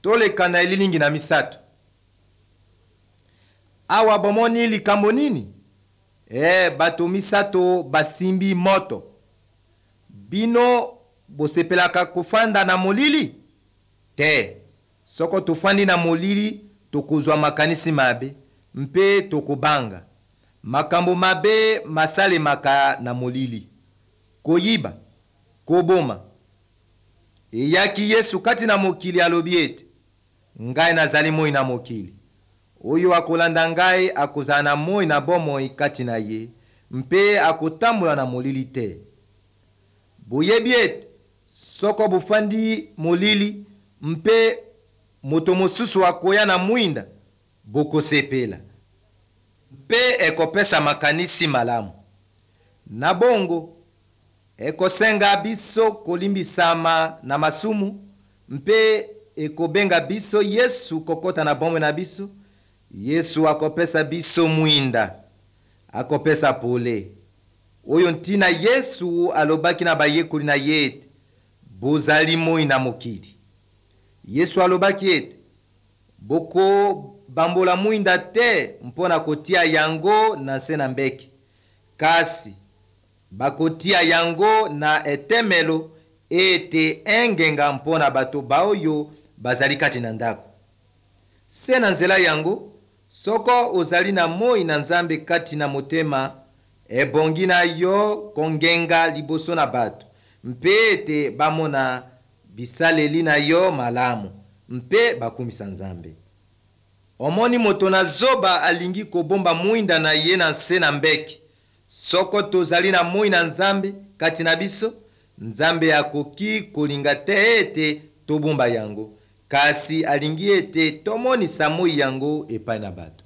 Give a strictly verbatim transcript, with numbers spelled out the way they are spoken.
Toleka na elilingi na misato. Awa bomoni likambo nini? E, bato misato basimbi moto. Bino bosepelaka kofanda na molili te? Soko tofandi na molili, tokozwa makanisi mabe mpe tokobanga. Makambo mabe masalemaka na molili: koyiba, koboma. Eyaki Yesu kati na mokili, alobi ete: "Ngai nazali moi na mokili. Oyo akolanda ngai akozala na moi na bomoi kati na ye, mpe akotambola na molili te." Boyebi ete soko bofandi molili mpe moto mosusu akoya na mwinda, bokosepela mpe ekopesa makanisi malamu. Na bongo ekosenga biso kolimbisama na masumu, mpe ekobenga biso Yesu kokɔta na bomoi na biso. Yesu akopesa biso mwinda, akopesa pole. Oyo ntina Yesu alobaki na bayekoli na ye ete: "Bozali moi na mokili." Yesu alobaki ete bokobambola mwinda te mpo na kotia yango na nse na mbeki, kasi bakotia yango na etemelo ete engenga mpo na bato baoyo bazali kati na ndako. Se na nzela yango, soko ozali na moi na Nzambe kati na motema, ebongi na yo kongenga liboso na bato, mpe ete bamona bisaleli na yo malamu mpe bakumisa Nzambe. Omoni, moto na zoba alingi kobomba mwinda na ye na nse na mbeki. Soko tozali na moi na Nzambe kati na biso, Nzambe akoki kolinga te ete tobomba yango, kasi alingi ete tomonisa moi yango epai na bato.